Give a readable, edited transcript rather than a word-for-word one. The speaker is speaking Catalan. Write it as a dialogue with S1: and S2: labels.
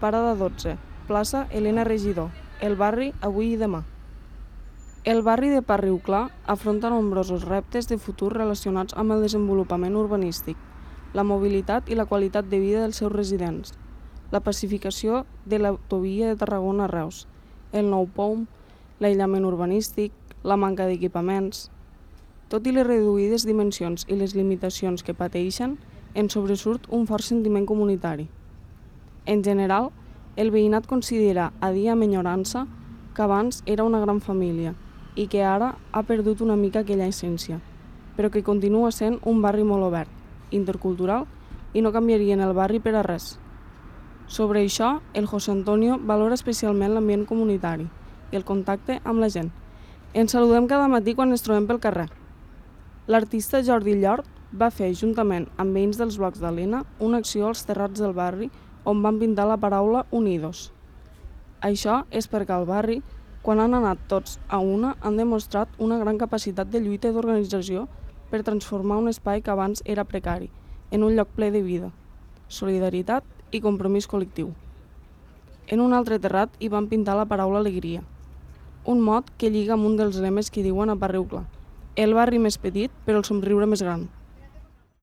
S1: Parada 12, plaça Elena Regidor, el barri avui i demà. El barri de Parriuclar afronta nombrosos reptes de futur relacionats amb el desenvolupament urbanístic, la mobilitat i la qualitat de vida dels seus residents, la pacificació de l'autovia de Tarragona a Reus, el nou POM, l'aïllament urbanístic, la manca d'equipaments. Tot i les reduïdes dimensions i les limitacions que pateixen, en sobresurt un fort sentiment comunitari. En general, el veïnat considera a dia amb enyorança que abans era una gran família i que ara ha perdut una mica aquella essència, però que continua sent un barri molt obert, intercultural i no canviarien el barri per a res. Sobre això, el José Antonio valora especialment l'ambient comunitari i el contacte amb la gent. Ens saludem cada matí quan ens trobem pel carrer. L'artista Jordi Llort va fer, juntament amb veïns dels blocs d'Alena, una acció als terrats del barri on van pintar la paraula Unidos. Això és perquè al barri, quan han anat tots a una, han demostrat una gran capacitat de lluita i d'organització per transformar un espai que abans era precari en un lloc ple de vida, solidaritat i compromís col·lectiu. En un altre terrat hi van pintar la paraula alegria, un mot que lliga amb un dels lemes que diuen a Parriuclar: el barri més petit però el somriure més gran.